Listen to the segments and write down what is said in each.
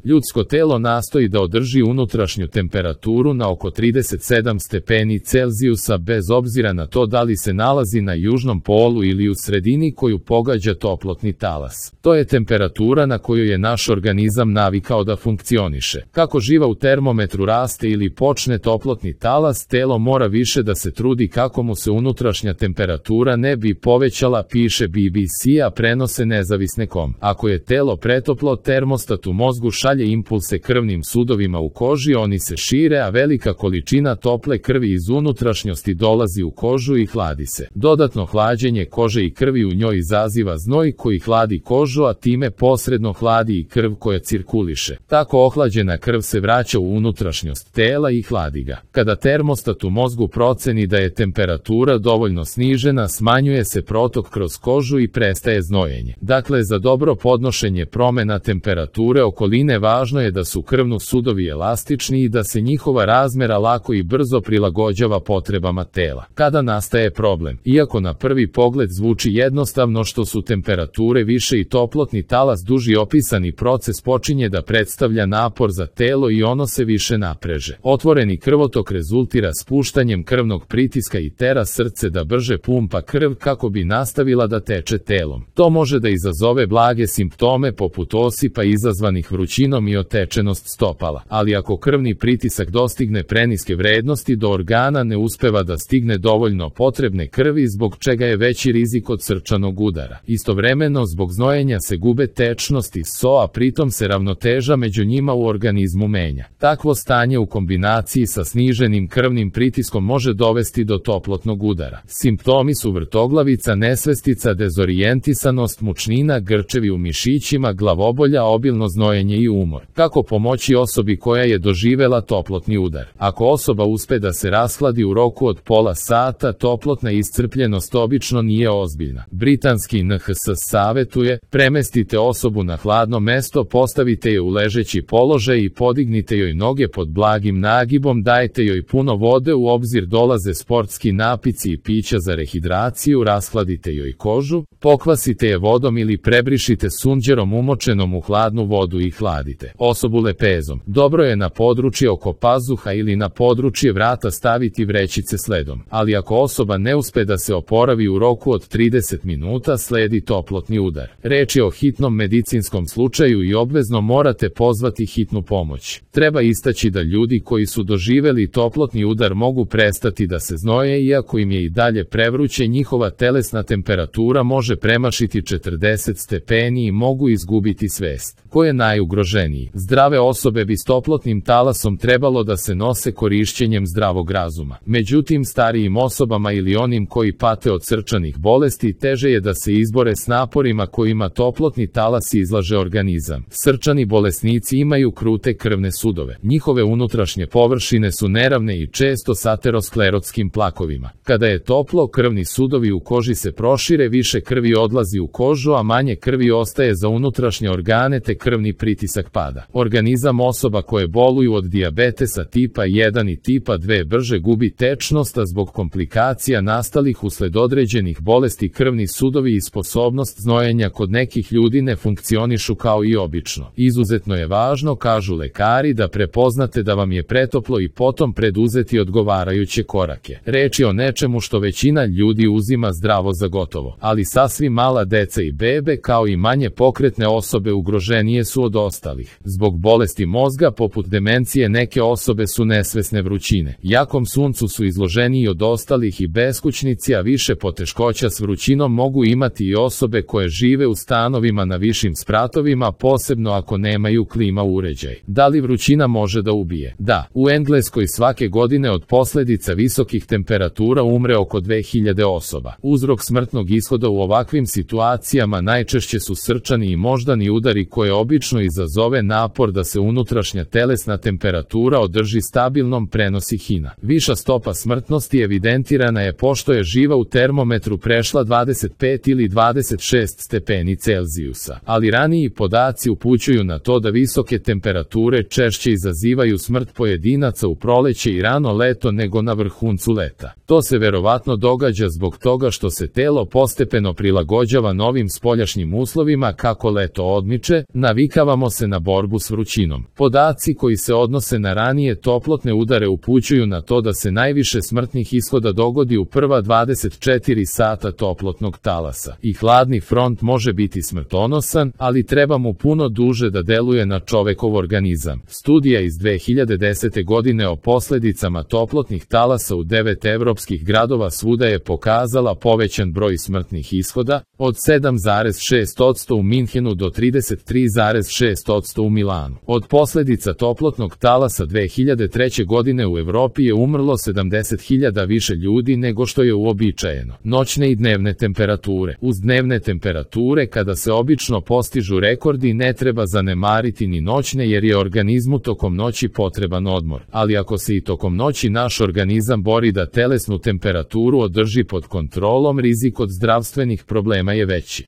Ljudsko telo nastoji da održi unutrašnju temperaturu na oko 37 stepeni Celzijusa bez obzira na to da li se nalazi na južnom polu ili u sredini koju pogađa toplotni talas. To je temperatura na koju je naš organizam navikao da funkcioniše. Kako živa u termometru raste ili počne toplotni talas, telo mora više da se trudi kako mu se unutrašnja temperatura ne bi povećala, piše BBC, a prenose nezavisne.com. Ako je telo pretoplo, termostat u mozgu šalje impulse krvnim sudovima u koži, oni se šire, a velika količina tople krvi iz unutrašnjosti dolazi u kožu i hladi se. Dodatno hlađenje kože i krvi u njoj izaziva znoj koji hladi kožu, a time posredno hladi i krv koja cirkuliše. Tako ohlađena krv se vraća u unutrašnjost tela i hladi ga. Kada termostat u mozgu proceni da je temperatura dovoljno snižena, smanjuje se protok kroz kožu i prestaje znojenje. Dakle, za dobro podnošenje promena temperature okoline važno je da su krvno-sudovi elastični i da se njihova razmera lako i brzo prilagođava potrebama tela. Kada nastaje problem? Iako na prvi pogled zvuči jednostavno, što su temperature više i toplotni talas duži, opisani proces počinje da predstavlja napor za telo i ono se više napreže. Otvoreni krvotok rezultira spuštanjem krvnog pritiska i tera srce da brže pumpa krv kako bi nastavila da teče telom. To može da izazove blage simptome poput osipa izazvanih vrućinom i otečenost stopala, ali ako krvni pritisak dostigne preniske vrednosti, do organa ne uspeva da stigne dovoljno potrebne krvi, zbog čega je veći rizik od srčanog udara. Istovremeno, zbog znojenja se gube tečnost i so, a pritom se ravnoteža među njima u organizmu menja. Takvo stanje u kombinaciji sa sniženim krvnim pritiskom može dovesti do toplotnog udara. Simptomi su vrtoglavica, nesvestica, dezorijentisanost, mučnina, grčevi u mišićima, glavobolja, obilno znojenje i umor. Kako pomoći osobi koja je doživela toplotni udar? Ako osoba uspe da se rashladi u roku od pola sata, toplotna iscrpljenost obično nije ozbiljna. Britanski NHS savetuje: premestite osobu na hladno mesto, postavite je u ležeći položaj i podignite joj noge pod blagim nagibom, dajte joj puno vode, u obzir dolaze sportski napici i pića za rehidraciju, rashladite joj kožu, pokvasite je vodom ili prebrišite sunđerom umočenom u hladnu vodu i hladite. Osobu lepezom. Dobro je na područje oko pazuha ili na područje vrata staviti vrećice s ledom, ali ako osoba ne uspe da se oporavi u roku od 30 minuta, sledi toplotni udar. Reč je o hitnom medicinskom slučaju i obvezno morate pozvati hitnu pomoć. Treba istaći da ljudi koji su doživeli toplotni udar mogu prestati da se znoje, iako im je i dalje prevruće, njihova telesna temperatura može premašiti 40 stepeni i mogu izgubiti svest. Ko je najugroženiji? Zdrave osobe bi s toplotnim talasom trebalo da se nose korišćenjem zdravog razuma. Međutim, starijim osobama ili onim koji pate od srčanih bolesti teže je da se izbore s naporima kojima toplotni talas izlaže organizam. Srčani bolesnici imaju krute krvne sudove. Njihove unutrašnje površine su neravne i često s aterosklerotskim plakovima. Kada je toplo, krvni sudovi u koži se prošire, više krvi odlazi u kožu, a manje krvi ostaje za unutrašnje organe te krvni pritisak pada. Organizam osoba koje boluju od dijabetesa tipa 1 i tipa 2 brže gubi tečnost, a zbog komplikacija nastalih usled određenih bolesti krvni sudovi i sposobnost znojenja kod nekih ljudi ne funkcionišu kao i obično. Izuzetno je važno, kažu lekari, da prepoznate da vam je pretoplo i potom preduzeti odgovarajuće korake. Reč je o nečemu što većina ljudi uzima zdravo za gotovo, ali sasvim mala deca i bebe kao i manje pokretne osobe ugroženije su od ostalih. Zbog bolesti mozga poput demencije neke osobe su nesvesne vrućine. Jakom suncu su izloženiji od ostalih i beskućnici, a više poteškoća s vrućinom mogu imati i osobe koje žive u stanovima na višim spratovima, posebno ako nemaju klima uređaj. Da li vrućina može da ubije? Da. U Engleskoj svake godine od posljedica visokih temperatura umre oko 2000 osoba. Uzrok smrtnog ishoda u ovakvim situacijama najčešće su srčani i moždani udari koje obično izazove napor da se unutrašnja telesna temperatura održi stabilnom, prenosi HINA. Viša stopa smrtnosti evidentirana je pošto je živa u termometru prešla 25 ili 26 stepeni Celzijusa, ali raniji podaci upućuju na to da visoke temperature češće izazivaju smrt pojedinaca u proleće i rano leto nego na vrhuncu leta. To se verovatno događa zbog toga što se telo postepeno prilagođava novim spoljašnjim uslovima. Kako leto odmiče, navikavamo se na borbu s vrućinom. Podaci koji se odnose na ranije toplotne udare upućuju na to da se najviše smrtnih ishoda dogodi u prva 24 sata toplotnog talasa. I hladni front može biti smrtonosan, ali treba mu puno duže da deluje na čovekov organizam. Studija iz 2010. godine o posledicama toplotnih talasa u 9 evropskih gradova svuda je pokazala povećan broj smrtnih ishoda, od 7,6% u Minhenu do 33,6% u Milanu. Od posledica toplotnog talasa 2003. godine u Evropi je umrlo 70.000 više ljudi nego što je uobičajeno. Noćne i dnevne temperature. Uz dnevne temperature, kada se obično postižu rekordi, ne treba zanemariti ni noćne jer je organizmu tokom noći potreban odmor. Ali ako se i tokom noći naš organizam bori da telesnu temperaturu održi pod kontrolom, rizik od zdravstvenih problema je veći.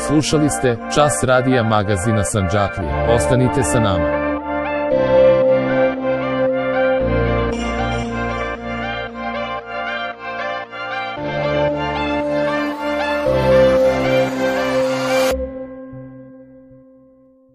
Slušali ste Čas radija magazina Sandžaklija. Ostanite sa nama.